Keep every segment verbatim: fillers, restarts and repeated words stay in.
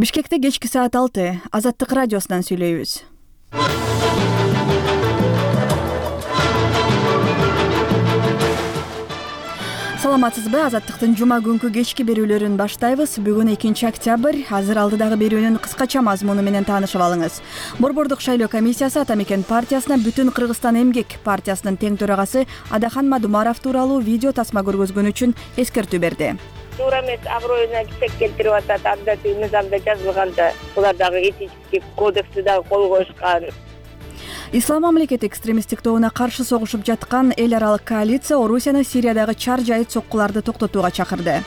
Бишкекте кечки саат алты. Азаттык радиосунан сүйлөйбүз. Саламатсызбы? Азаттыктын жума күнкү кечки берүүлөрүн баштайбыз. Бүгүн экинчи октябрь. Азыр алдыдагы берүүнүн кыскача мазмуну менен таанышып алыңыз. Борбордук шайлоо комиссиясы Ата Мекен партиясына Бүтүн Кыргызстан эмгек партиясынын тең төрагасы Адахан Мадумаров тууралуу видео тасма көргөзгөн үчүн эскертүү берди. Туура эмес, аброюна кисек келтирип атат, абдатый мыйзамда жазылганда. Булар дагы этический кодексти дагы кол коюшкан. Ислам мамлекети экстремисттик тобуна каршы согушуп жаткан эл аралык коалиция Орусияны Сириядагы чар жайыт соккуларды токтотууга чакырды.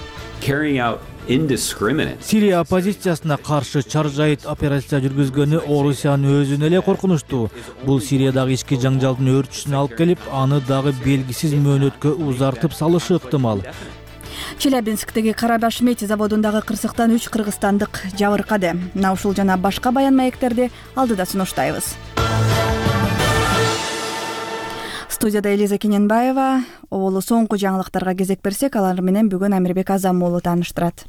Сирия оппозициясына каршы чар жайыт операция жүргүзгөнү Орусиянын өзүнө эле коркунучтуу. Бул Сириядагы ички жаңжалдын өрчүшүнө алып келип, аны дагы белгисиз мөөнөткө узартып салышы ыктымал. Челябинсктеги Карабаш Мети заводундагы кырсыктан үч кыргызстандык жабыркады. Мына ушул жана башка баян маектерди алдыда сунуштайбыз. Студияда Элиза Кененбаева. Оболу соңку жаңылыктарга кезек берсек, алар менен бүгүн Амирбек Азам уулу тааныштырат.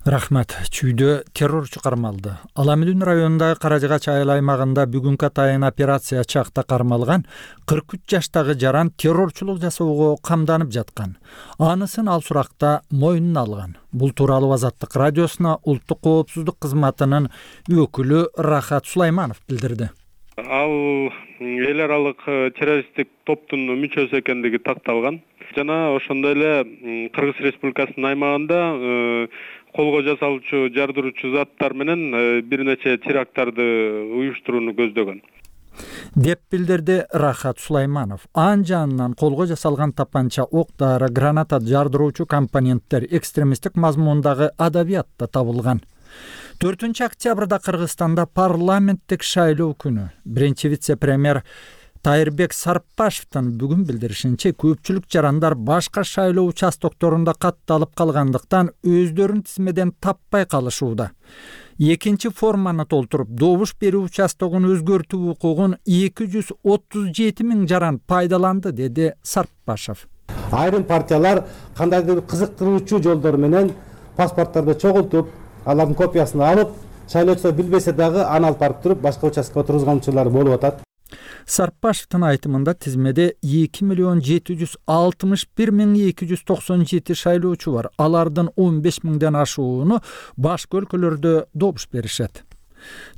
Рахмат. Чүйдө террорчу кармалды. Аламүдүн районундагы Каражыгач айыл аймагында бүгүнкү атайын операция чакта кармалган кырк үч жаштагы жаран террорчулук жасоого камданып жаткан. Анысын ал суракта мойнуна алган. Бул тууралуу Азаттык радиосуна Улуттук коопсуздук кызматынын өкүлү Рахат Сулайманов билдирди. Ал эл аралык террористтик топтун мүчөсү экендиги такталган. Жана ошондой эле Кыргыз Республикасынын аймагында колго жасалуучу жардыруучу заттар менен бир нече теракттарды уюштурууну көздөгөн деп билдирди Рахат Сулайманов. Ан жанынан колго жасалган тапанча, ок-дары, граната жардыруучу компоненттер экстремисттик мазмундагы адабиятта табылган. төртүнчү октябрда Кыргызстанда парламенттик шайлоо күнү. Биринчи вице-премьер Тайырбек Сарпашевдин бүгүн билдиришинче, көпчүлүк жарандар башка шайлоо участокторунда катталып калгандыктан өздөрүн тизмеден таппай калышууда. Экинчи форманы толтуруп, добуш берүү участогун өзгөртүү укугун эки жүз отуз жети миң жаран пайдаланды, деди Сарпашев. Айрым партиялар кандайдыр кызыктыруучу жолдор менен паспорттарды чогултуп, алардын копиясын алып, шайлоочулар билбесе дагы аны алып барып туруп, башка участкага тургузгончулар болуп атат. Сарпашевдин айтымында тизмеде эки миллион жети жүз алтымыш бир миң эки жүз токсон жети шайлоочу бар. Алардын он беш миңден ашууну башка өлкөлөрдө добуш беришет.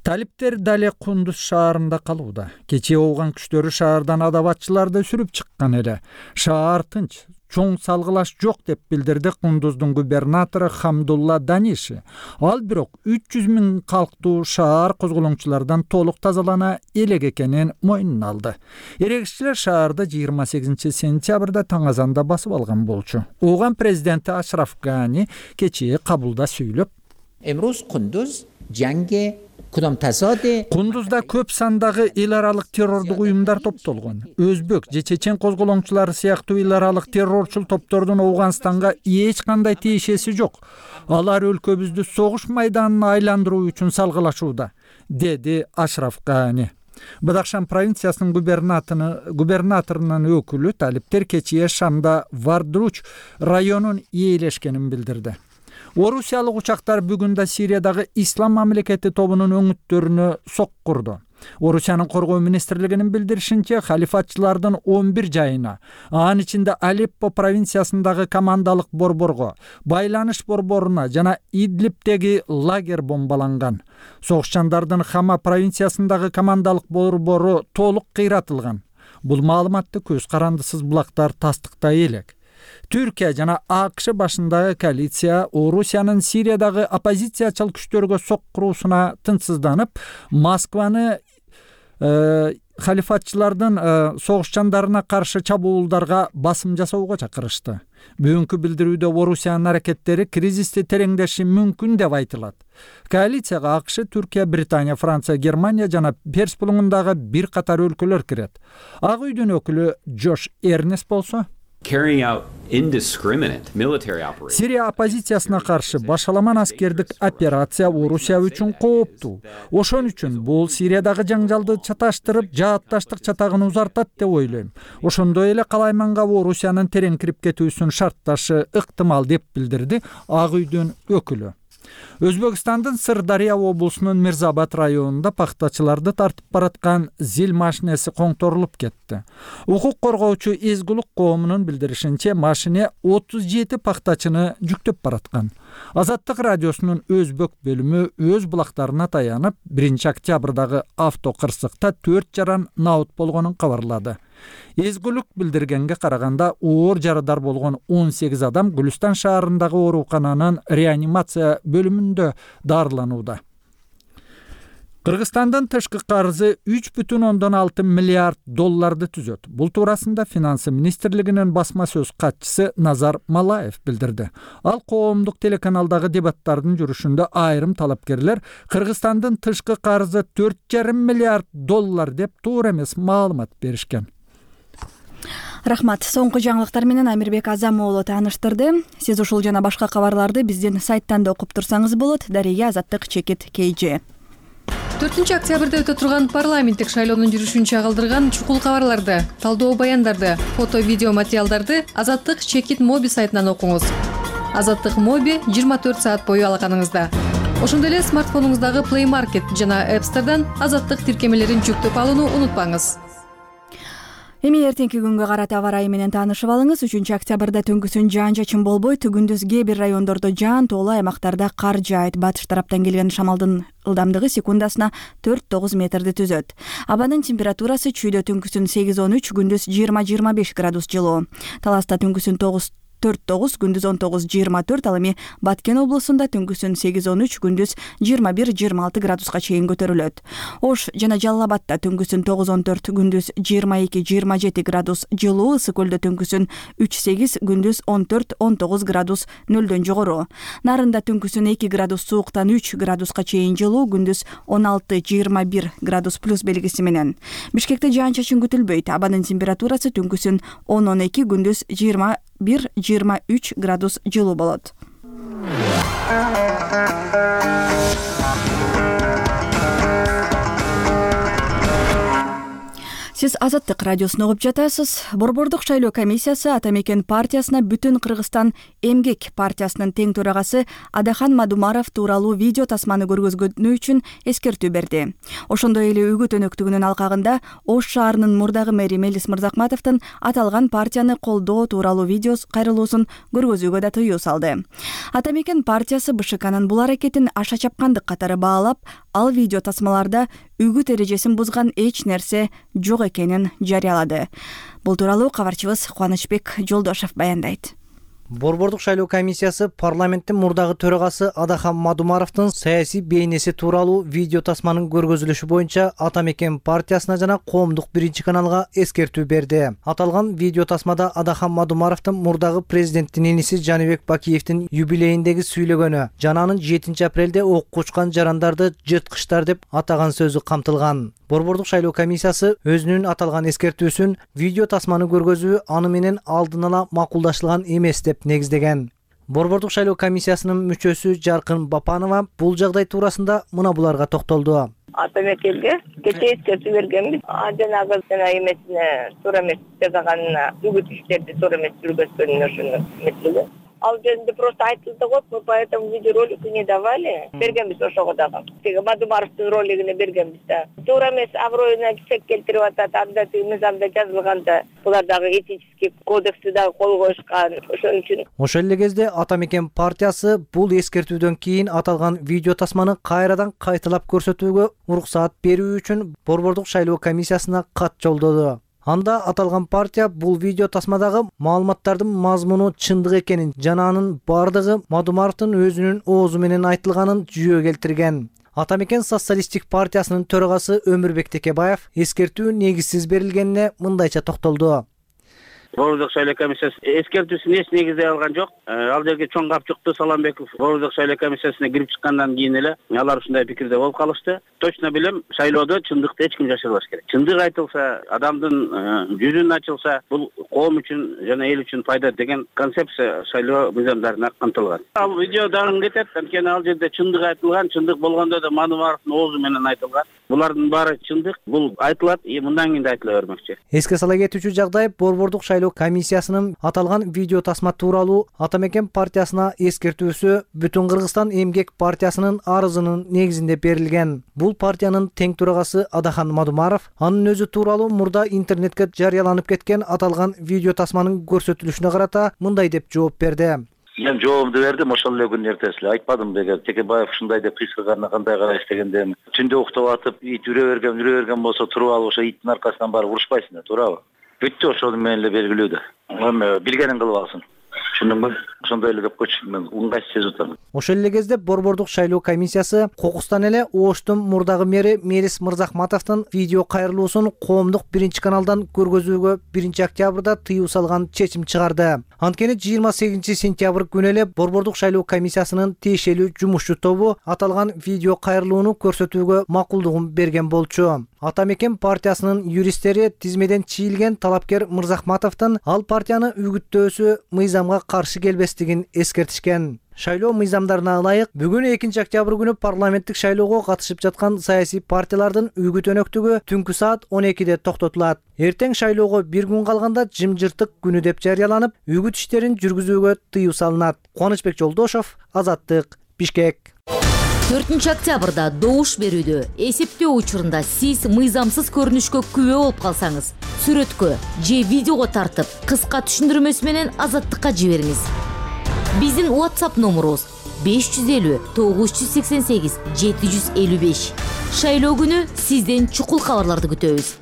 Талиптер дале Кундуз шаарында калууда. Кечээ ооган күчтөрү шаардан адабатчыларды сүрүп чыккан эле. Шаар тынч, чоң салгылаш жок деп билдирди Кундуздун губернатору Хамдулла Даниши. Ал бирок үч жүз миң калктуу шаар козголоңчулардан толук тазалана элек экенин мойнуна алды. Эрегиччилер шаарды жыйырма сегизинчи сентябрда таң азанда басып алган болчу. Ооган президенти Ашраф Гани кечээ кабулда сүйлөп, Эмрuz Kunduz jange Кундузда көп сандагы эл аралык террордук уюмдар топтолгон. Өзбек же чечен козголоңчулары сыяктуу эл аралык террорчул топтордун Ооганстанга эч кандай тиешеси жок. Алар өлкөбүздү согуш майданына айландыруу үчүн салгылашууда, деди Ашраф Гани. Бадахшан провинциясынын губернаторунун өкүлү талиптер кечээ Шамда Вардруч районун ээлешкенин билдирди. Орусиялык учактар бүгүн да Сириядагы Ислам мамлекети тобунун өңүттөрүнө соккурду. Орусиянын коргоо министрлигинин билдиришинче, халифатчылардын он бир жайына, анын ичинде Алеппо провинциясындагы командалык борборго, байланыш борборуна жана Идлибтеги лагерь бомбаланган. Согушчандардын Хама провинциясындагы командалык борбору толук кыйратылган. Бул маалыматты көз карандысыз булактар тастыктай элек. Түркия жана АКШ башындагы коалиция Орусиянын Сириядагы оппозициячыл күчтөргө соккуруусуна тынчсызданып, Москваны э, халифатчылардын э, согушчандарына каршы чабуулдарга басым жасоого чакырышты. Бүгүнкү билдирүүдө Орусиянын аракеттери кризисти тереңдеши мүмкүн деп айтылат. Коалицияга АКШ, Түркия, Британия, Франция, Германия жана Перс булуңундагы бир катар өлкөлөр кирет. Ак үйдүн өкүлү Джош Эрнест болсо, Сирия оппозициясына каршы башаламан аскердик операция Орусия үчүн кооптуу. Ошон үчүн бул Сириядагы жаңжалды чаташтырып, жаатташтык чатагын узартат деп ойлойм. Ошондой эле калайманга Орусиянын терең кирип кетүүсүн шартташы ыктымал деп билдирди Ак үйдүн өкүлү. Өзбекстандын Сырдария облусунун Мирзабад районунда пахтачыларды тартып бараткан зил машинеси коңторулуп кетти. Укук коргоочу Эзгулук коомунун билдиришинче, машине отуз жети пахтачыны жүктөп бараткан. Азаттык радиосунун өзбек бөлүмү өз булактарына таянып, биринчи октябрдагы авто кырсыкта төрт жаран наут болгонун кабарлады. Эзгулук билдиргенге караганда, оор жарадар болгон он сегиз адам Гүлүстан шаарындагы оорукананын реанимация бөлүмүндө дарыланууда. Кыргызстандын тышкы карызы үч бүтүн ондон алты миллиард долларды түзөт. Бул туурасында Финансы министрлигинин басма сөз катчысы Назар Малаев билдирди. Ал коомдук телеканалдагы дебаттардын жүрүшүндө айрым талапкерлер Кыргызстандын тышкы карызы төрт жарым миллиард доллар деп туура эмес маалымат беришкен. Рахмат. Соңку жаңылыктар менен Амирбек Азам уулу тааныштырды. Сиз ушул жана башка кабарларды биздин сайттан да окуп турсаңыз болот. Дареге Азаттык Чекит кей же. төртүнчү октябрда өтө турган парламенттик шайлоонун жүрүшүн чагылдырган чукул кабарларды, талдоо баяндарды, фото видео материалдарды Азаттык Чекит моби сайтынан окуңуз. Азаттык моби жыйырма төрт саат бою алаканыңызда. Ошондой эле смартфонуңуздагы Play Market жана App Store'дан Азаттык тиркемелерин жүктөп алууну унутпаңыз. Эми эртеңки күнгө карата аба ырайы менен таанышып алыңыз. үчүнчү октябрда түнкүсүн жаан-чачын болбойт, күндүз кээ бир райондордо жаан, тоолуу аймактарда кар жаайт. Батыш тараптан келген шамалдын ылдамдыгы секундасына төрт тогуз метрди түзөт. Абанын температурасы чүйдө түнкүсүн сегиз он үч, күндүз жыйырма жыйырма беш градус жылуу. Таласта түнкүсүн тогуз төрт тогуз, күндүз он тогуз жыйырма төрт, ал эми Баткен облусунда түнкүсүн сегиз он үч, күндүз жыйырма бир жыйырма алты градуска чейин көтөрүлөт. Ош жана Жалал Абадта түнкүсүн тогуз он төрт, күндүз жыйырма эки жыйырма жети градус жылуу. Ысык көлдө түнкүсүн үч сегиз, күндүз он төрт он тогуз градус нөлдөн жогору. Нарында түнкүсүн эки градус сууктан үч градуска чейин жылуу, күндүз он алты жыйырма бир градус плюс белгиси менен. Бишкекте жаан-чачын күтүлбөйт. Абанын температурасы түнкүсүн он он эки, күндүз жыйырма бир жыйырма үч градус жылуу болот. Сиз Азаттык радиосун угуп жатасыз. Борбордук шайлоо комиссиясы Ата Мекен партиясына Бүтүн Кыргызстан эмгек партиясынын тең төрагасы Адахан Мадумаров тууралуу видео тасманы көргөзгөнү үчүн эскертүү берди. Ошондой эле Үгүт өнөктүгүнүн алкагында Ош шаарынын мурдагы мэри Мелис Мырзакматовдун аталган партияны колдоо тууралуу видео кайрылуусун көргөзүүгө да тыюу салды. Ата Мекен партиясы БШКнын бул аракетин аша чапкандык катары баалап, ал видео тасмаларда үгүт эрежесин бузган эч нерсе жок экенин жарыялады. Бул тууралуу кабарчыбыз Кубанычбек Жолдошов баяндайт. Борбордук шайлоо комиссиясы парламенттин мурдагы төрагасы Адахан Мадумаровдун саясий бейнеси тууралуу видео тасманын көргөзүлүшү боюнча Ата Мекен партиясына жана коомдук биринчи каналга эскертүү берди. Аталган видео тасмада Адахан Мадумаровдун мурдагы президенттин иниси Жаныбек Бакиевдин юбилейиндеги сүйлөгөнү жана анын жетинчи апрелде ок кучкан жарандарды жырткычтар деп атаган сөзү камтылган. Борбордук шайлоо комиссиясы өзүнүн аталган эскертүүсүн видео тасманы көргөзүү аны менен алдын ала макулдашылган эмес деп негиздеген. Борбордук шайлоо комиссиясынын мүчөсү Жаркын Бапанова бул жагдай туурасында мына буларга токтолду. Ата Мекенге кечээ эскертүү бергенбиз. Жанагы жана эмесине туура эмес жасаганына, үгүт иштерди туура эмес жүргүзгөнүнө ошону эметилген. Ал жеринде просто айтылды го, мы по этому видеоролику не давали. Бергенбиз ошого дагы. Теги Мадумаровдун ролигине бергенбиз да. Туура эмес аброюна кесек келтирип атат, андаты мыйзамда жазылган да. Булар дагы этический кодексти дагы кол коюшкан. Ошон үчүн. Ошол эле кезде Ата Мекен партиясы бул эскертүүдөн кийин аталган видео тасманы кайрадан кайталап көрсөтүүгө уруксаат берүү үчүн Борбордук шайлоо комиссиясына кат жолдоду. Анда аталган партия бул видео тасмадагы маалыматтардын мазмуну чындык экенин жана анын бардыгы Мадумаровдун өзүнүн оозу менен айтылганын жүйө келтирген. Ата Мекен социалисттик партиясынын төрагасы Өмүрбек Текебаев эскертүү негизсиз берилгенине мындайча токтолду. Борбордук шайлоо комиссиясы эскертүүсүн эч негиздей алган жок. Ал жерге чоң капчыкты Саламбеков Борбордук шайлоо комиссиясына кирип чыккандан кийин эле алар ушундай пикирде болуп калышты. Точно билем, шайлоодо чындыкты эч ким жашырбаш керек. Чындык айтылса, адамдын жүзүн ачылса, бул коом үчүн жана эл үчүн пайда деген концепция шайлоо мыйзамдарына камтылган. Ал видео дагы кетет, анткени ал жерде чындык айтылган, чындык болгондо да Мадумаровдун оозу менен айтылган. Булардын баары чындык, бул айтылат, мындан кийин да айтыла бермекчи. Эске сала кетүүчү жагдай Борбордук шайлоо комиссиясынын аталган видео тасма тууралуу Ата Мекен партиясына эскертүүсү Бүтүн Кыргызстан эмгек партиясынын арызынын негизинде берилген. Бул партиянын тең төрагасы Адахан Мадумаров анын өзү тууралуу мурда интернетке жарыяланып кеткен аталган видео тасманын көрсөтүлүшүнө карата мындай деп жооп берди. Мен жообумду бердим, ошол эле күнү эртеси эле айтпадым деге Текебаев ушундай деп кыйсырганына кандай карайсыз дегенде түндө уктап атып ит үрө берген үрө берген болсо туруп алып ошо иттин аркасынан барып урушпайсың да, туурабы? Бүттү, ошол менен эле белгилүү да. Эми билгенин кылып алсын. Түшүндүңбү? Ошондой эле деп койчу, мен ыңгайсыз сезип атам. Ошол эле кезде Борбордук шайлоо комиссиясы кокустан эле Оштун мурдагы мэри Мелис Мырзахматовдун видео кайрылуусун коомдук биринчи каналдан көргөзүүгө биринчи октябрда тыюу салган чечим чыгарды. Анткени жыйырма сегизинчи сентябрь күнү эле Борбордук шайлоо комиссиясынын тиешелүү жумушчу тобу аталган видео кайрылууну көрсөтүүгө макулдугун берген болчу. Ата Мекен партиясынын юристтери тизмеден чийилген талапкер Мырзахматовдун ал партияны үгүттөөсү мыйзамга каршы келбестигин эскертишкен. Шайлоо мыйзамдарына ылайык бүгүн экинчи октябрь күнү парламенттик шайлоого катышып жаткан саясий партиялардын үгүт өнөктүгү түнкү саат он экиде токтотулат. Эртең шайлоого бир күн калганда жымжыртык күнү деп жарыяланып, үгүт иштерин жүргүзүүгө тыюу салынат. Кубанычбек Жолдошов, Азаттык, Бишкек. төртүнчү октябрда добуш берүүдө эсептөө учурунда сиз мыйзамсыз көрүнүшкө күбө болуп калсаңыз, сүрөткө же видеого тартып, кыска түшүндүрмөсү менен Азаттыкка жибериңиз. Биздин WhatsApp номерубуз беш жүз элүү тогуз жүз сексен сегиз жети жүз элүү беш. Шайлоо күнү сизден чукул кабарларды күтөбүз.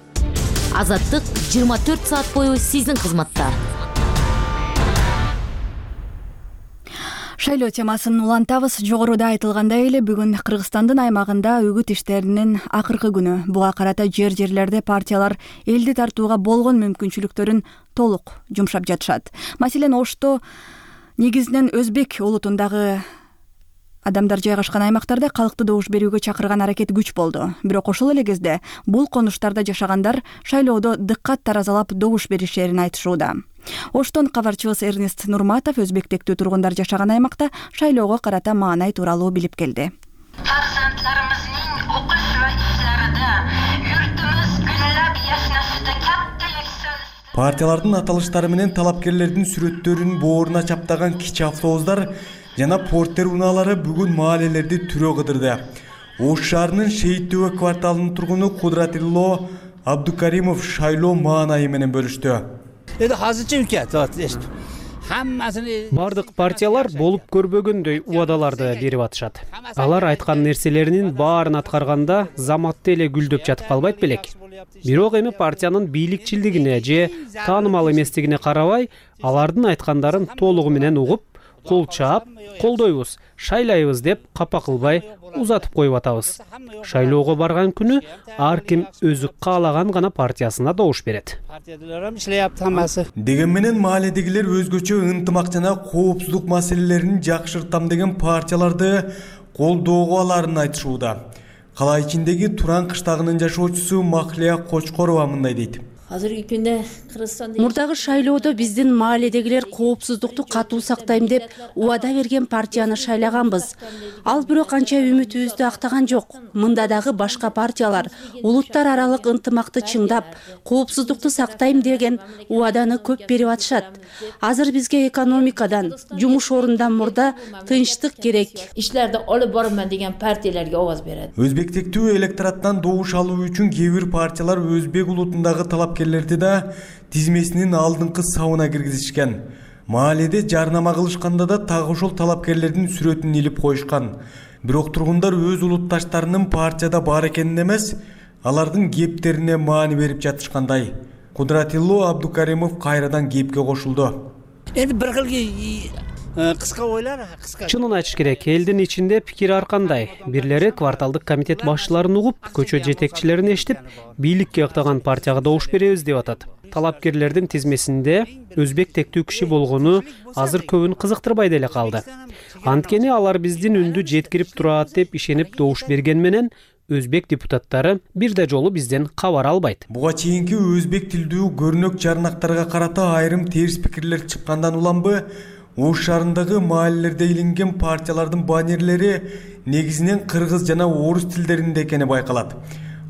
Азаттык жыйырма төрт саат бою сиздин кызматта. Шайлоо темасын улантабыз. Жогоруда айтылгандай эле бүгүн Кыргызстандын аймагында үгүт иштеринин акыркы күнү. Буга карата жер-жерлерде партиялар элди тартууга болгон мүмкүнчүлүктөрүн толук жумшап жатышат. Маселен, Ошто негизинен өзбек улутундагы адамдар жайгашкан аймактарда калкты добуш берүүгө чакырган аракет күч болду. Бирок ошол эле кезде бул конуштарда жашагандар шайлоодо дыккат таразалап добуш беришерин айтышууда. Оштон кабарчыбыз Эрнест Нурматов өзбектектүү тургундар жашаган аймакта шайлоого карата маанай тууралуу билип келди. Партиялардын аталыштары менен талапкерлердин сүрөттөрүн бооруна чаптаган кичи автобустар жана портер унаалары бүгүн маалелерди түрө кыдырды. Ош шаарынын Шейиттөбө кварталынын тургуну Кудратилло Абдукаримов шайлоо маанайы менен бөлүштү. Бардык партиялар болуп көрбөгөндөй убадаларды берип атышат. Алар айткан нерселеринин баарын аткарганда заматты эле гүлдөп жатып калбайт белек. Бирок эми партиянын бийликчилдигине же таанымал эместигине карабай, алардын айткандарын толугу менен угуп, кол чаап, колдойбуз, шайлайбыз деп капа кылбай узатып коюп атабыз. Шайлоого барган күнү ар ким өзү каалаган гана партиясына добуш берет. Деген менен мааледегилер өзгөчө ынтымак жана коопсуздук маселелерин жакшыртам деген партияларды колдоого аларын айтышууда. Кала ичиндеги Туран кыштагынын жашоочусу Махлия Кочкорова мындай дейт. Мурдагы шайлоодо биздин мааледегилер коопсуздукту катуу сактайм деп убада берген партияны шайлаганбыз. Ал бирок канча үмүтүбүздү актаган жок. Мында дагы башка партиялар улуттар аралык ынтымакты чыңдап, коопсуздукту сактайм деген убаданы көп берип атышат. Азыр бизге экономикадан, жумуш орундан мурда тынчтык керек. Ишлерди алып барман деген партияларга овоз берет. Өзбектектүү электораттан добуш алуу үчүн кээ бир партиялар өзбек улутундагы талапкерлерди да тизмесинин алдыңкы сабына киргизишкен. Мааледе жарнама кылышканда да так ошол талапкерлердин сүрөтүн илип коюшкан. Бирок тургундар өз улутташтарынын партияда бар экенин эмес, алардын кептерине маани берип жатышкандай. Кудратилло Абдукаримов кайрадан кепке кошулду. Эми бир кылгы кыска ойлор, кыска. Чынын айтыш керек, элдин ичинде пикир ар кандай. Бирлери кварталдык комитет башчыларын угуп, көчө жетекчилерин эшитип, бийликке ыктаган партияга добуш беребиз деп атат. Талапкерлердин тизмесинде өзбек тектүү киши болгону азыр көбүн кызыктырбай деле калды. Анткени алар биздин үндү жеткирип турат деп ишенип добуш берген менен өзбек депутаттары бир да жолу бизден кабар албайт. Буга чейинки өзбек тилдүү көрнөк жарнактарга карата айрым терс пикирлер чыккандан уланбы, Ош шаарындагы маалелерде илинген партиялардын баннерлери негизинен кыргыз жана орус тилдеринде экени байкалат.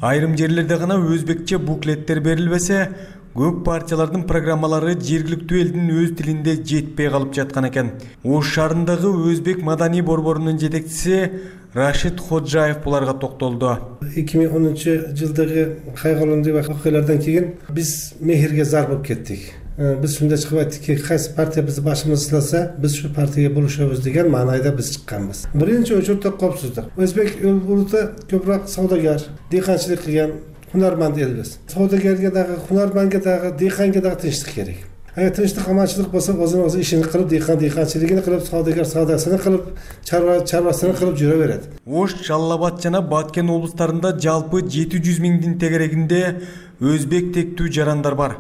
Айрым жерлерде гана өзбекче буклеттер берилбесе, Көп партиялардын программалары жергиликтүү элдин өз тилинде жетпей калып жаткан экен. Ош шаарындагы Өзбек маданий борборунун жетекчиси Рашид Ходжаев буларга токтолду. эки миң онунчу жылдагы кайгылуу окуялардан кийин биз мехирге зар болуп кеттик. Биз ушундай чыгып айттыкки, кайсы партия бизди башыбызды сыласа, биз ушу партияга бурушабыз деген маанайда биз чыкканбыз. Биринчи очередде коопсуздук. Өзбек улуты көбүрөөк саудагер, дыйканчылык кылган хунарманд элбиз. Саудагерге дагы, хунарманга дагы, дыйканга дагы тынчтык керек. Эгер тынчтык, аманчылык болсо, өзүнүн өзү ишин кылып, дыйкан дыйканчылыгын кылып, саудагер саудасын кылып, чарба чарбасын кылып жүрө берет. Ош, Жалал Абад жана Баткен облустарында жалпы жети жүз миңдин тегерегинде өзбек тектүү жарандар бар.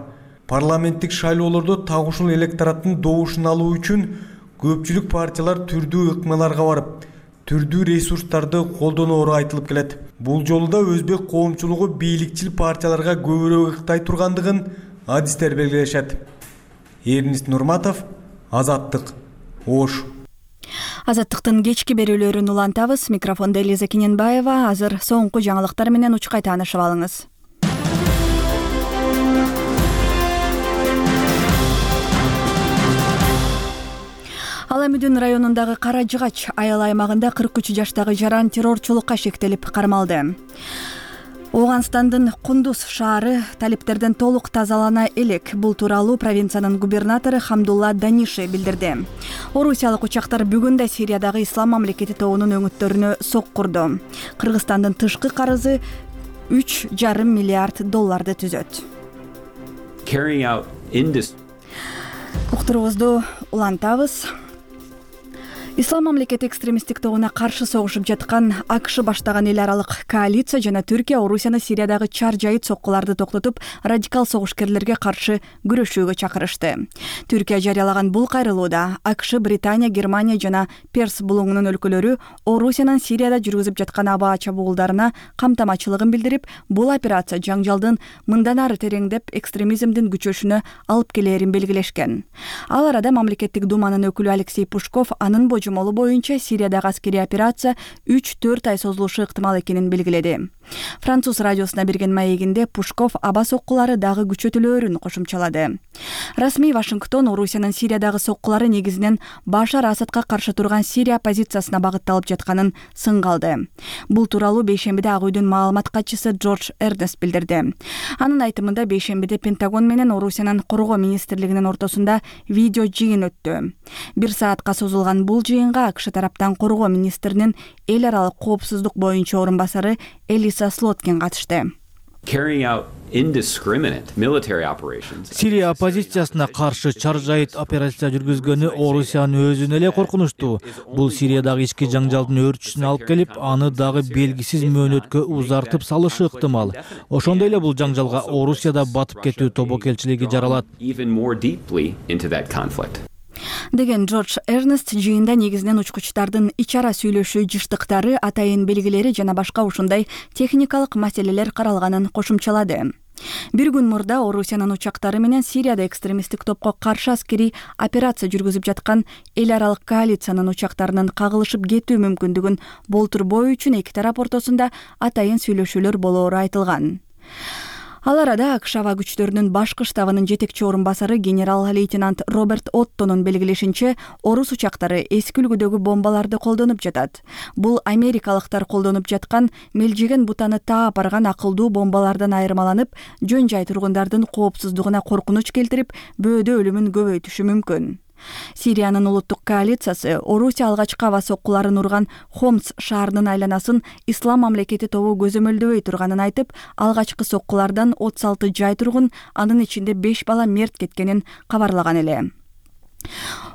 Парламенттик шайлоолордо так ушул электораттын добушун алуу үчүн көпчүлүк партиялар түрдүү ыкмаларга барып, түрдүү ресурстарды колдоноору айтылып келет. Бул жолу да өзбек коомчулугу бийликчил партияларга көбүрөөк ыктай тургандыгын адистер белгилешет. Эрнист Нурматов, Азаттык, Ош. Азаттыктын кечки берүүлөрүн улантабыз. Микрофондо Элиза Кененбаева. Азыр соңку жаңылыктар менен учкай таанышып алыңыз. Ала Мүдүн районундагы Кара Жыгач айыл аймагында кырк үч жаштагы жаран террорчулукка шектелип кармалды. Ооганстандын Кундуз шаары талиптерден толук тазалана элек. Бул тууралуу провинциянын губернатору Хамдулла Даниши билдирди. Орусиялык учактар бүгүн да Сириядагы Ислам мамлекети тобунун өңүттөрүнө сок курду. Кыргызстандын тышкы карызы үч жарым миллиард долларды түзөт. Уктуруубузду улантабыз. Ислам мамлекети экстремисттик тобуна каршы согушуп жаткан АКШ баштаган эл аралык коалиция жана Түркия Орусияны Сириядагы чар жайыт соккуларды токтотуп, радикал согушкерлерге каршы күрөшүүгө чакырышты. Түркия жарыялаган бул кайрылууда АКШ, Британия, Германия жана Перс булуңунун өлкөлөрү Орусиянын Сирияда жүргүзүп жаткан аба чабуулдарына камтамачылыгын билдирип, бул операция жаңжалдын мындан ары тереңдеп экстремизмдин күчөшүнө алып келерин белгилешкен. Ал арада мамлекеттик думанын өкүлү Алексей Пушков анын божомолу боюнча Сириядагы аскерий операция үч төрт ай созулушу ыктымал экенин белгиледи. Француз радиосуна берген маегинде Пушков аба соккулары дагы күчөтүлөөрүн кошумчалады. Расмий Вашингтон Орусиянын Сириядагы соккулары негизинен Башар Асадка каршы турган Сирия оппозициясына багытталып жатканын сынга алды. Бул тууралуу бейшембиде Ак үйдүн маалымат катчысы Джордж Эрнест билдирди. Анын айтымында бейшембиде Пентагон менен Орусиянын коргоо министрлигинин ортосунда видео жыйын өттү. Бир саатка созулган бул жыйынга АКШ тараптан коргоо министринин эл аралык коопсуздук боюнча орун басары Элиса Слоткин катышты. Сирия оппозициясына каршы чар жайыт операция жүргүзгөнү Орусиянын өзүнө эле коркунучтуу. Бул Сириядагы ички жаңжалдын өөрчүсүнө алып келип, аны дагы белгисиз мөөнөткө узартып салышы ыктымал. Ошондой эле бул жаңжалга Орусияда батып кетүү тобокелчилиги жаралат. Деген Джордж Эрнест жыйында негизинен учкучтардын ич ара сүйлөшүү жыштыктары, атайын белгилери жана башка ушундай техникалык маселелер каралганын кошумчалады. Бир күн мурда Орусиянын учактары менен Сирияда экстремисттик топко каршы аскерий операция жүргүзүп жаткан эл аралык коалициянын учактарынын кагылышып кетүү мүмкүндүгүн болтурбоо үчүн эки тарап ортосунда атайын сүйлөшүүлөр болоору айтылган. Ал арада АКШ аба күчтөрүнүн башкы штабынын жетекчи орун басары генерал-лейтенант Роберт Оттонун белгилешинче, орус учактары эски үлгүдөгү бомбаларды колдонуп жатат. Бул америкалыктар колдонуп жаткан мелжеген бутаны таап барган акылдуу бомбалардан айырмаланып, жөн жай тургундардын коопсуздугуна коркунуч келтирип, бөөдө өлүмүн көбөйтүшү мүмкүн. Сириянын улуттук коалициясы Орусия алгачкы аба соккуларын урган Хомс шаарынын айланасын Ислам мамлекети тобу көзөмөлдөбөй турганын айтып, алгачкы соккулардан отуз алты жай тургун, анын ичинде беш бала мерт кеткенин кабарлаган эле.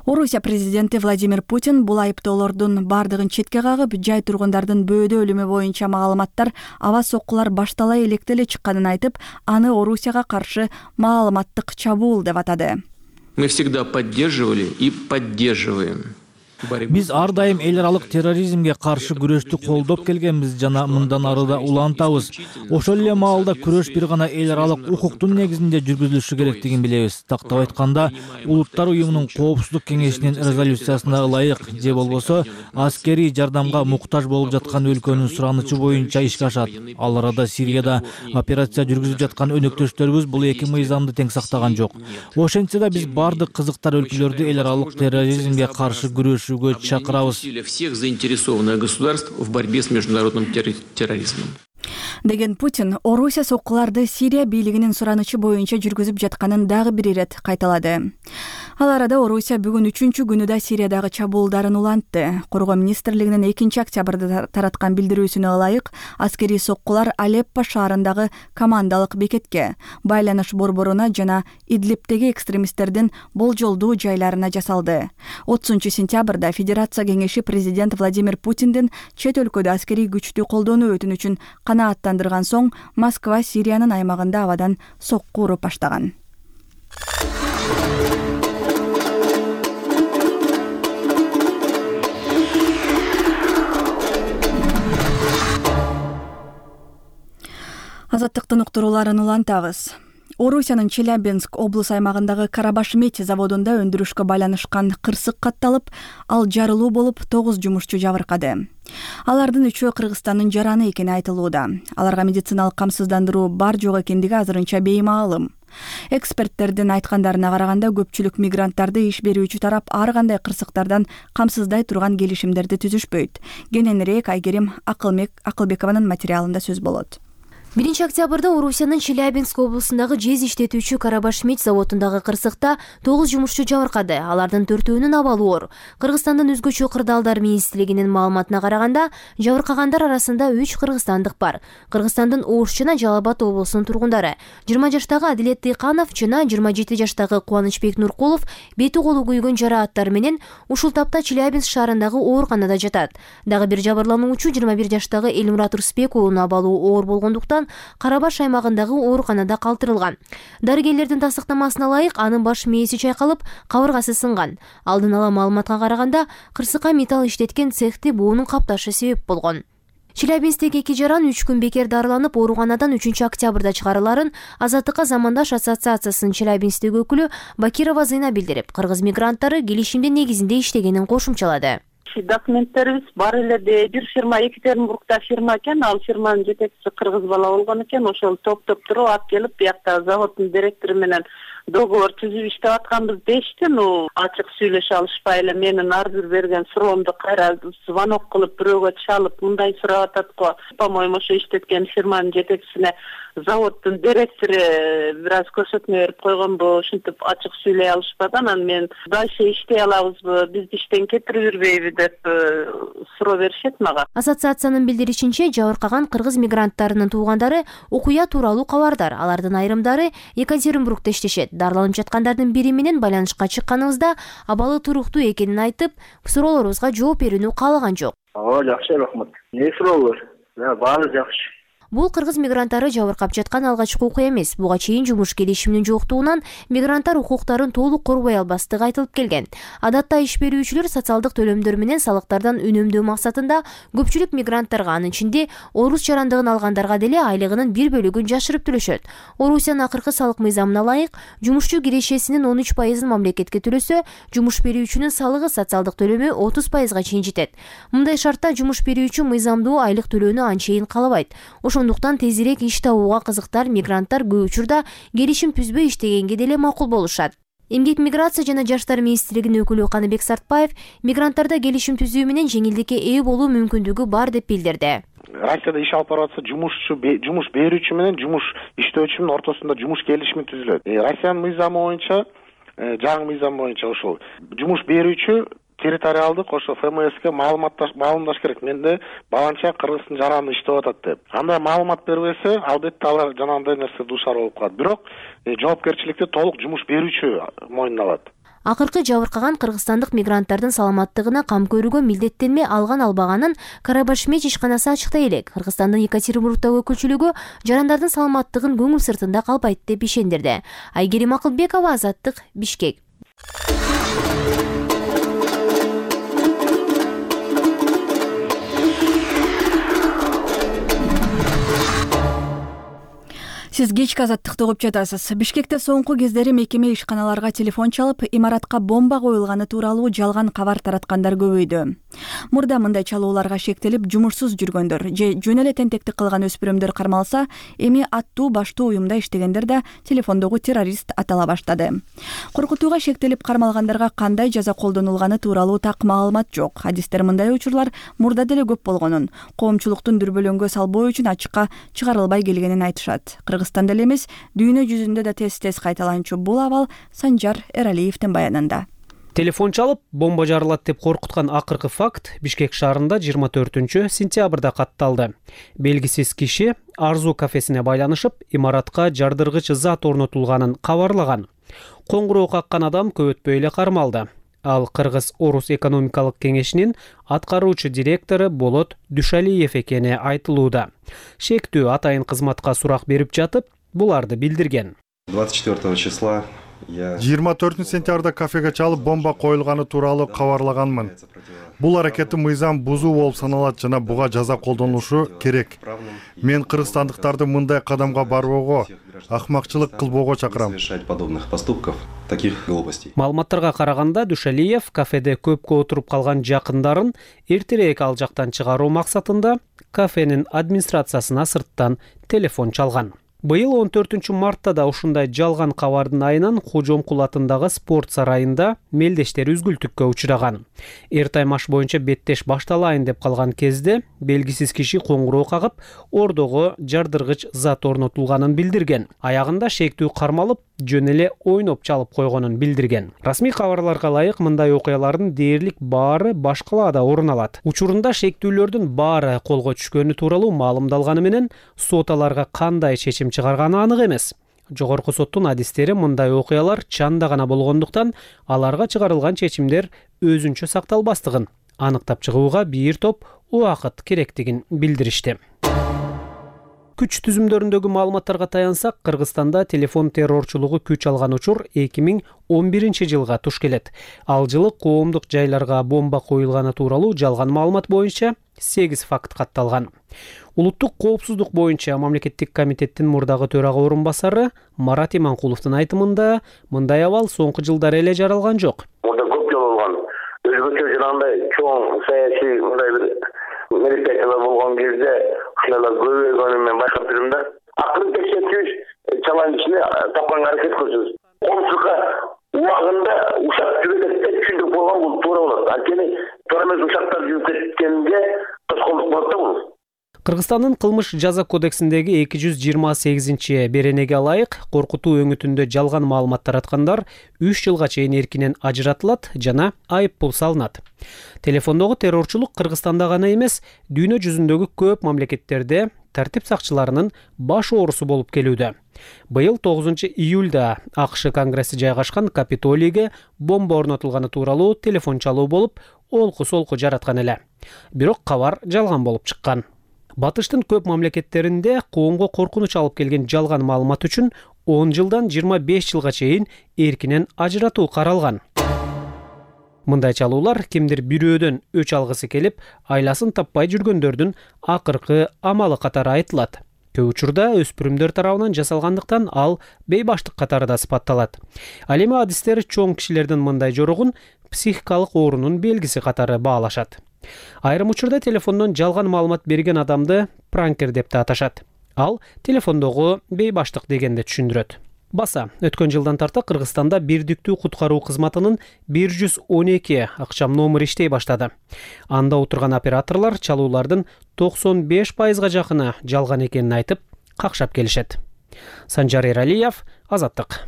Орусия президенти Владимир Путин бул айыптоолордун бардыгын четке кагып, жай тургундардын бөөдө өлүмү боюнча маалыматтар аба соккулар баштала электе эле чыкканын айтып, аны Орусияга каршы маалыматтык чабуул деп атады. Мы всегда поддерживали и поддерживаем Биз ар дайым эл аралык терроризмге каршы күрөштү колдоп келгенбиз жана мындан ары да улантабыз. Ошол эле маалда күрөш бир гана эл аралык укуктун негизинде жүргүзүлүшү керектигин билебиз. Тактап айтканда, Улуттар уюмунун Коопсуздук кеңешинин резолюциясына ылайык же болбосо аскерий жардамга муктаж болуп жаткан өлкөнүн суранычы боюнча ишке ашат. Ал арада Сирияда операция жүргүзүп жаткан өнөктөштөрүбүз бул эки мыйзамды тең сактаган жок. Ошентсе да биз бардык кызыктар өлкөлөрдү эл аралык терроризмге каршы күрөшүүгө чакырабыз. Всех заинтересованных государств в борьбе с международным терроризмом. Деген Путин Орусия соккуларды Сирия бийлигинин суранычы боюнча жүргүзүп жатканын дагы бир ирет кайталады. Ал арада Орусия бүгүн үчүнчү күнү да Сириядагы чабуулдарын улантты. Коргоо министрлигинин экинчи октябрда тараткан билдирүүсүнө ылайык, аскерий соккулар Алеппо шаарындагы командалык бекетке, байланыш борборуна жана Идлибтеги экстремисттердин болжолдуу жайларына жасалды. отузунчу сентябрда Федерация кеңеши президент Владимир Путиндин чет өлкөдө аскерий күчтү колдонуу өтүнүчүн канааттандырган соң Москва Сириянын аймагында абадан сокку уруп баштаган. Азаттыктын уктурууларын улантабыз. Орусиянын Челябинск облус аймагындагы Карабаш-Медь заводунда өндүрүшкө байланышкан кырсык катталып, ал жарылуу болуп, тогуз жумушчу жабыркады. Алардын үчөө Кыргызстандын жараны экени айтылууда. Аларга медициналык камсыздандыруу бар жок экендиги азырынча беймаалым. Эксперттердин айткандарына караганда, көпчүлүк мигранттарды иш берүүчү тарап ар кандай кырсыктардан камсыздай турган келишимдерди түзүшпөйт. Кененирээк Айгерим Акылбекованын материалында сөз болот. биринчи октябрда Орусиянын Челябинск облусундагы жез иштетүүчү Карабаш-Медь заводундагы кырсыкта тогуз жумушчу жабыркады. Алардын төртөөнүн абалы оор. Кыргызстандын өзгөчө кырдаалдар министрлигинин маалыматына караганда, жабыркагандар арасында үч кыргызстандык бар. Кыргызстандын Ош жана Жалал Абад облусунун тургундары. жыйырма жаштагы Адилет Тыйканов жана жыйырма жети жаштагы Кубанычбек Нуркулов бети колу күйгөн жарааттар менен ушул тапта Челябинск шаарындагы ооруканада жатат. Дагы бир жабырлануучу жыйырма бир жаштагы Элмурат Рысбек уулунун абалы оор болгондуктан Карабаш аймагындагы ооруканада калтырылган. Дарыгерлердин тастыктамасына ылайык, анын баш мээси чайкалып, кабыргасы сынган. Алдын ала маалыматка караганда, кырсыкка металл иштеткен цехти буунун капташы себеп болгон. Челябинсктеги эки жаран үч күн бекер дарыланып, ооруканадан үчүнчү октябрда чыгарыларын Азаттыкка замандаш ассоциациясынын Челябинсктеги өкүлү Бакирова Зыйна билдирип, кыргыз мигранттары келишимдин негизинде иштегенин кошумчалады. Документтерибиз бар эле. Бир фирма Екатеринбургда фирма экен, ал фирманын жетекчиси кыргыз бала болгон экен. Ошол топтоп туруп алып келип, биякта заводдун директору менен договор түзүп иштеп атканбыз дешти. Ну, ачык сүйлөшө алышпай эле менин ар бир берген суроомду кайра звонок кылып бирөөгө чалып, мындай сурап атат го. По-моему, ошо иштеткен фирманын жетекчисине заводдун директору бир аз көрсөтмө берип койгонбу, ушинтип ачык сүйлөй алышпаган. Анан мен дальше иштей алабызбы, бизди иштен кетирип жүрбөйбү деп суроо беришет мага. Ассоциациянын билдиришинче, жабыркаган кыргыз мигранттарынын туугандары окуя тууралуу кабардар. Алардын айрымдары Екатеринбургда иштешет. Дарыланып жаткандардын бири менен байланышка чыкканыбызда абалы туруктуу экенин айтып, суроолорубузга жооп берүүнү каалаган жок. Ооба, жакшы, рахмат. Эмне суроолор? Баары жакшы. Бул кыргыз мигранттары жабыркап жаткан алгачкы окуя эмес. Буга чейин жумуш келишиминин жоктугунан мигранттар укуктарын толук корбой албастыгы айтылып келген. Адатта иш берүүчүлөр социалдык төлөмдөр менен салыктардан үнөмдөө максатында көпчүлүк мигранттарга, анын ичинде орус жарандыгын алгандарга деле айлыгынын бир бөлүгүн жашырып төлөшөт. Орусиянын акыркы салык мыйзамына ылайык, жумушчу кирешесинин он үч пайызын мамлекетке төлөсө, жумуш берүүчүнүн салыгы социалдык төлөмү отуз пайызга чейин жетет. Мындай шартта жумуш берүүчү мыйзамдуу айлык төлөөнү анчейин каалабайт. Ошондуктан тезирээк иш табууга кызыктар мигранттар көп учурда келишим түзбөй иштегенге деле макул болушат. Эмгек миграция жана жаштар министрлигинин өкүлү Каныбек Сартбаев мигранттарда келишим түзүү менен жеңилдикке ээ болуу мүмкүндүгү бар деп билдирди. Россияда иш алып барып атса, жумушчу жумуш берүүчү менен жумуш иштөөчүнүн ортосунда жумуш келишими түзүлөт. Россиянын мыйзамы боюнча, жаңы мыйзам боюнча ошол жумуш берүүчү территориалдык ошо эф эм эске маалымдаш керек. Менде баланча кыргыздын жараны иштеп атат деп. Андай маалымат бербесе, албетте алар жанагындай нерсе дуушар болуп калат. Бирок жоопкерчиликти толук жумуш берүүчү мойнуна алат. Акыркы жабыркаган кыргызстандык мигранттардын саламаттыгына кам көрүүгө милдеттенме алган албаганын Карабаш-Медь ишканасы ачыктай элек. Кыргызстандын Екатеринбургдагы өкүлчүлүгү жарандардын саламаттыгын көңүл сыртында калбайт деп ишендирди. Айгерим Акылбекова, Азаттык, Бишкек. Сиз кечки азаттыкты угуп жатасыз. Бишкекте соңку кездери мекеме ишканаларга телефон чалып, имаратка бомба коюлганы тууралуу жалган кабар тараткандар көбөйдү. Мурда мындай чалууларга шектелип, жумушсуз жүргөндөр же жөн эле тентектик кылган өспүрүмдөр кармалса, эми аттуу баштуу уюмда иштегендер да телефондогу террорист атала баштады. Коркутууга шектелип кармалгандарга кандай жаза колдонулганы тууралуу так маалымат жок. Адистер мындай учурлар мурда деле көп болгонун, коомчулуктун дүрбөлөңгө салбоо үчүн ачыкка чыгарылбай келгенин айтышат. Кыргызстанда эле эмес, дүйнө жүзүндө да тез-тез кайталанчу бул абал Санжар Эралиевдин баянында. Телефон чалып, бомба жарылат деп коркуткан акыркы факт Бишкек шаарында жыйырма төртүнчү сентябрда катталды. Белгисиз киши Арзу кафесине байланышып, имаратка жардыргыч зат орнотулганын кабарлаган. Коңгуроо каккан адам көп өтпөй эле кармалды. Ал Кыргыз-Орус экономикалык кеңешинин аткаруучу директору Болот Дүшалиев экени айтылууда. Шектүү атайын кызматка сурак берип жатып, буларды билдирген. двадцать четвёртого числа жыйырма төртүнчү сентябрда кафеге чалып бомба коюлганы тууралуу кабарлаганмын. Бул аракети мыйзам бузуу болуп саналат жана буга жаза колдонулушу керек. Мен кыргызстандыктарды мындай кадамга барбоого, акмакчылык кылбоого чакырам. Маалыматтарга караганда, Дүшалиев кафеде көпкө отуруп калган жакындарын эртерээк ал жактан чыгаруу максатында кафенин администрациясына сырттан телефон чалган. Быйыл он төртүнчү мартта да ушундай жалган кабардын айынан Кожомкул атындагы спорт сарайында мелдештер үзгүлтүккө учураган. Эртайм аш боюнча беттеш башталайын деп калган кезде белгисиз киши коңгуроо кагып, ордого жардыргыч зат орнотулганын билдирген. Аягында шектүү кармалып, жөн эле ойноп чалып койгонун билдирген. Расмий кабарларга ылайык, мындай окуялардын дээрлик баары баш калаада орун алат. Учурунда шектүүлөрдүн баары колго түшкөнү тууралуу маалымдалганы менен сот аларга кандай чечим чыгарганы анык эмес. Жогорку соттун адистери мындай окуялар чанда гана болгондуктан аларга чыгарылган чечимдер өзүнчө сакталбастыгын аныктап чыгууга бир топ убакыт керектигин билдиришти. Күч түзүмдөрүндөгү маалыматтарга таянсак, Кыргызстанда телефон террорчулугу күч алган учур эки миң он биринчи жылга туш келет. Ал жылы коомдук жайларга бомба коюлганы тууралуу жалган маалымат боюнча сегиз факт катталган. Улуттук коопсуздук боюнча мамлекеттик комитеттин мурдагы төрага орун басары Марат Иманкуловдун айтымында мындай абал соңку жылдары эле жаралган жок. Мурда көп жолу болгон. Өзбекчө жанагындай чоң саясий мындай бир мероприятиялар болгон кезде ушундайлар көбөйгөнүн мен байкап жүрмүн да. Акырын текшертүүбүз чалан ичине тапканга аракет кылабыз. Коомчулукка убагында ушак жүрөт деп түшүндүрүп койгон бул туура болот. Анткени туура эмес ушактар жүрүп кеткенге тоскоолдук болот да бул. Кыргызстандын кылмыш жаза кодексиндеги эки жүз жыйырма сегизинчи беренеге ылайык коркутуу өңүтүндө жалган маалымат тараткандар үч жылга чейин эркинен ажыратылат жана айып пул салынат. Телефондогу террорчулук Кыргызстанда гана эмес, дүйнө жүзүндөгү көп мамлекеттерде тартип сакчыларынын баш оорусу болуп келүүдө. Быйыл тогузунчу июлда АКШ конгресси жайгашкан Капитолийге бомба орнотулганы тууралуу телефон чалуу болуп, олку-солку жараткан эле. Бирок кабар жалган болуп чыккан. Батыштын көп мамлекеттеринде коомго коркунуч алып келген жалган маалымат үчүн он жылдан жыйырма беш жылга чейин эркинен ажыратуу каралган. Мындай чалуулар кимдир бирөөдөн өч алгысы келип, айласын таппай жүргөндөрдүн акыркы амалы катары айтылат. Көп учурда өспүрүмдөр тарабынан жасалгандыктан ал бейбаштык катары да сыпатталат. Ал эми адистер чоң кишилердин мындай жорогун психикалык оорунун белгиси катары баалашат. Айрым учурда телефондон жалган маалымат берген адамды пранкер деп да аташат. Ал телефондогу бейбаштык дегенди түшүндүрөт. Баса, өткөн жылдан тарта Кыргызстанда бирдиктүү куткаруу кызматынын бир жүз он эки акчам номер иштей баштады. Анда отурган операторлор чалуулардын токсон беш пайызга жакыны жалган экенин айтып, какшап келишет. Санжар Эралиев, Азаттык.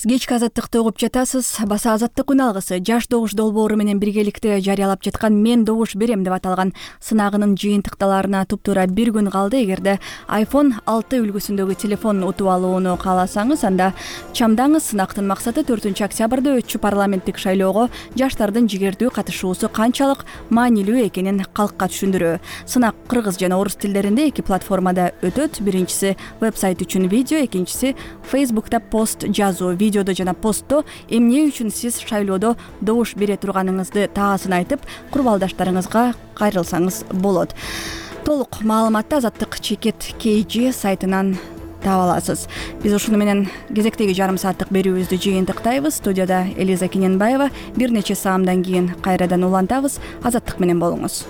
Кечки азаттыкты угуп жатасыз. Баса азаттык үн алгысы жаш добуш долбоору менен биргеликте жарыялап жаткан «Мен добуш берем» деп аталган сынагынын жыйынтыкталарына туптуура бир күн калды. Эгерде айфон алты үлгүсүндөгү телефон утуп алууну кааласаңыз, анда чамдаңыз. Сынактын максаты төртүнчү октябрда өтчү парламенттик шайлоого жаштардын жигердүү катышуусу канчалык маанилүү экенин калкка түшүндүрүү. Сынак кыргыз жана орус тилдеринде эки платформада өтөт. Биринчиси вебсайт үчүн видео, экинчиси Facebook'та пост жазуу. Видеодо жана постто эмне үчүн сиз шайлоодо добуш бере турганыңызды таасын айтып, курбалдаштарыңызга кайрылсаңыз болот. Толук маалыматты Азаттык чекит кей жи сайтынан таап аласыз. Биз ушуну менен кезектеги жарым сааттык берүүбүздү жыйынтыктайбыз. Студияда Элиза Кененбаева. Бир нече саамдан кийин кайрадан улантабыз. Азаттык менен болуңуз.